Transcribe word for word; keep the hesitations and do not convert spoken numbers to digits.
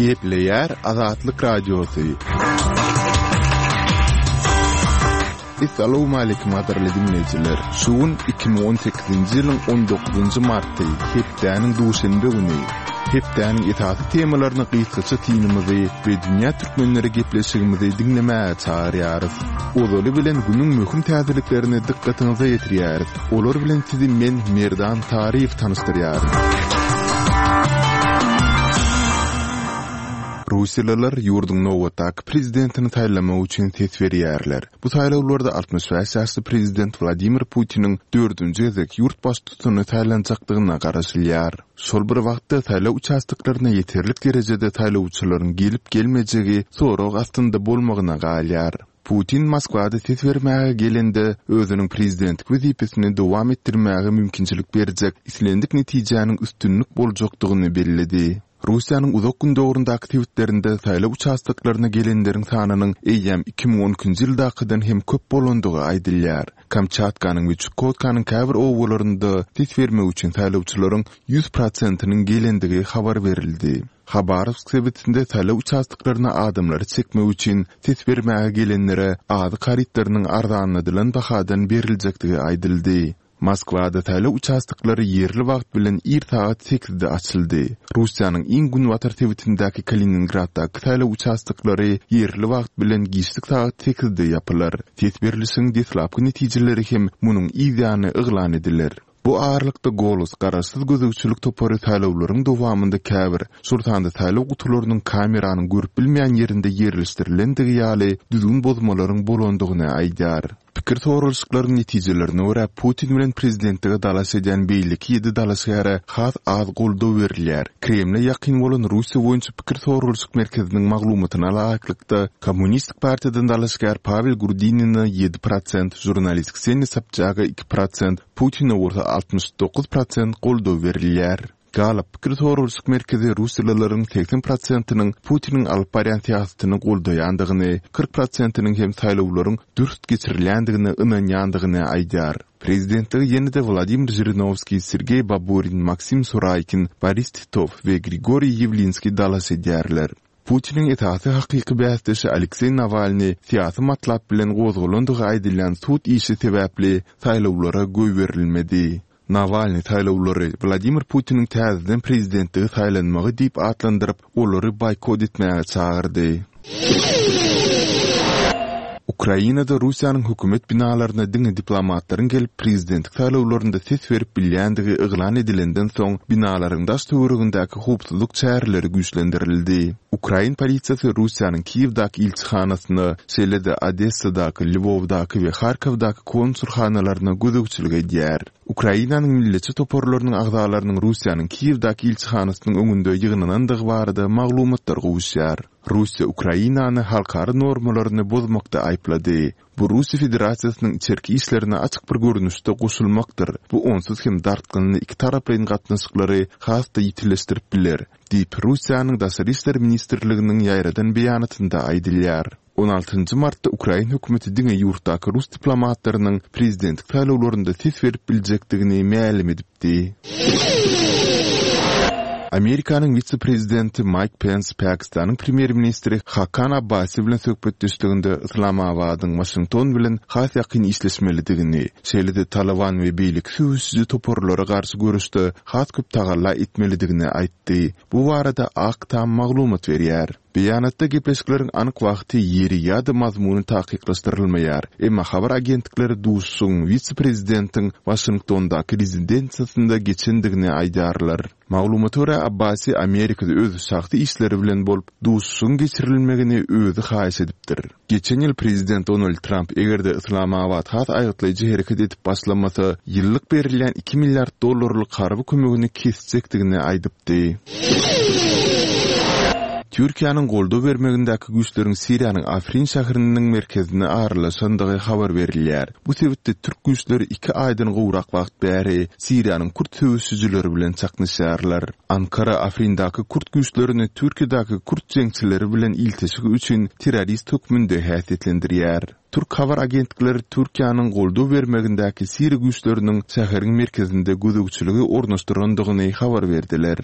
Gepleýär Azatlyk Radiosy. Essalawmaleýkim gadyrly diňleýjiler. Şu gün iki müň on sekizinji ýylyň on dokuzynjy marty, hepdäniň duşenbe güni. Hepdäniň esasy temalaryna gysgaça synymyzy we dünýä türkmenleri gepleşigimizi diňlemäge çagyrýarys. Ozaly bilen günüň möhüm täzeliklerini dykgatyňyza ýetirýäris. Olar bilen sizi men Merdan Taryýew tanyşdyrýaryn. Russiýalylar ýurduň nobatdaky prezidentini saýlamak üçin ses berýärler. Bu saýlawlarda altmyş bäş ýaşly prezident Wladimir Putiniň dördünji gezek ýurt baştutany saýlanjakdygyna garaşylýar. Şol bir wagtda saýlaw uçastoklaryna ýeterlik derejede saýlawçylaryň gelip-gelmejegi sorag astynda bolmagyna galýar. Putin Moskwada ses bermäge gelende özüniň prezidentlik wezipesini dowam etdirmäge mümkinçilik berjek islendik netijäniň üstünlik boljakdygyny belledi. Russiýanyň uzak gündogaryndaky sebitlerinde saýlaw uçastoklaryna gelenleriň sanynyň eýýäm iki müň on ikinji ýyldakydan hem köp bolandygy aýdylýar. Kamçatkanyň we Çukotkanyň käbir obalarynda ses bermek üçin saýlawçylaryň ýüz prosentiniň gelendigi habar berildi. Habarowsk sebitinde saýlaw uçastoklaryna adamlary çekmek üçin ses bermäge gelenlere azyk harytlarynyň arzanladylan bahadan beriljekdigi aýdyldy. Moskwada saýlaw uçastoklary ýerli wagt bilen ir sagat sekizde açyldy. Russiýanyň iň günbatar sebitindäki Kaliningraddaky saýlaw uçastoklary ýerli wagt bilen giçlik sagat sekizde ýapylar. Ses berlişiň deslapky netijeleri hem munuň yz ýany yglan ediler. Bu aralykda Golos garaşsyz gözegçilik topary saýlawlaryň dowamynda käbir, şol sanda saýlaw gutularynyň kameranyň görüp bilmeýän ýerinde ýerleşdirilendigi ýaly düzgün bozmalaryň bolandygyny aýdýar. Pikir soralyşyklaryň netijelerine görä Putin bilen prezidentlige dalaş edýän beýleki ýedi dalaşgäre has az goldaw berilýär. Kremle ýakyn bolan Russiýa boýunça pikir soralyşyk merkeziniň maglumatyna laýyklykda Kommunistik partiýadan dalaşgär Pavel Grudinina ýedi prosent, žurnalist Kseniýa Sobçaga iki prosent, Putine bolsa altmyş dokuz prosent goldaw berilýär. Gallup pikir soralyşyk merkezi russiýalylaryň segsen prosentiniň Putiniň alyp barýan syýasatyny goldaýandygyny, kyrk prosentiniň hem saýlawlaryň dürs geçirilýändigine ynanýandygyny aýdýar. Prezidentlige ýene-de Wladimir Žirinowskiý, Sergeý Baburin, Maksim Suraýkin, Boris Titow we Grigoriý Ýewlinskiý dalaş edýärler. Putiniň esasy hakyky bäsdeşi Alekseý Nawalnyý syýasy matlap bilen gozgalandygy aýdylýan sud işi sebäpli saýlawlara goýberilmedi. Nawalnyý saýlawlary Wladimir Putiniň täzeden prezidentlige saýlanmagy diýip atlandyryp, olary boýkot etmäge çagyrdy. Ukrainada Russiýanyň hökümet binalaryna diňe diplomatlaryň gelip prezidentlik saýlawlarynda ses berip bilýändigi yglan edilenden soň binalaryň daş töweregindäki howpsuzlyk çäreleri güýçlendirildi. Ukrain polisiýasy Russiýanyň Kiýewdäki ilçihanasyna, şeýle-de Odessadaky, Lwowdaky we Harkowdaky konsulhanalaryna gözegçilik edýär. Ukrainanyň milletçi toparlarynyň agzalarynyň Russiýanyň Kiýewdäki ilçihanasynyň öňünde ýygnanandygy barada maglumatlar gowuşýar. Russiýa Ukrainany halkara normalaryny bozmakda aýyplady. Bu Russiýa Federasiýasynyň içerki işlerine açyk bir görnüşde goşulmakdyr. Bu onsuz hem dartgynly iki taraplaýyn gatnaşyklary has-da ýitileşdirip biler, diýip Russiýanyň Daşary işler ministrliginiň ýaýradan beýanatynda aýdylýar. On altynjy martda ukrain hökümeti diňe ýurtdaky rus diplomatlarynyň prezidentlik saýlawlarynda ses berip biljekdigini mälim edipdi. Amerikanyň wise-prezidenti Maýk Pens Pakistanyň premýer-ministri Hakan Abbasi bilen söhbetdeşliginde Yslamabadyň Waşington bilen has ýakyn işleşmelidigini, şeýle-de Taliban we beýleki söweşiji toparlara garşy göreşde has köp tagalla etmelidigini aýtdy. Bu barada Ak Tam maglumat berýär. Beýanatda gepleşikleriň anyk wagty, ýeri ýa-da mazmuny takyklaşdyrylmaýar. Emma habar agentlikleri duşuşygyň wise-prezidentiň Waşingtondaky rezidensiýasynda geçendigini aýdýarlar. Maglumata görä, Abbasi Amerikada öz şahsy işleri bilen bolup, duşuşygyň geçirilmegini özi haýyş edipdir. Geçen ýyl prezident Donald Tramp eger-de Yslamabat has aýgytlaýjy hereket edip başlamasa, ýyllyk berilýän iki milliard dollarlyk harby kömegini kesjekdigini aýdypdy. Türkiýäniň goldaw bermegindäki güýçleriň Siriýanyň Afrin şäheriniň merkezine aralaşandygy habar berilýär. Bu sebitde türk güýçleri iki aýdan gowrak wagt bäri Siriýanyň kürt söweşijileri bilen çaknyşýarlar. Ankara Afrindaky kürt güýçlerini Türkiýedäki kürt jeňçileri bilen ilteşigi üçin terrorist hökmünde häsiýetlendirýär. Türk habar agentlikleri Türkiýäniň goldaw bermegindäki siriýa güýçleriniň şäheriň merkezinde gözegçiligi ornaşdyrandygyny habar berdiler.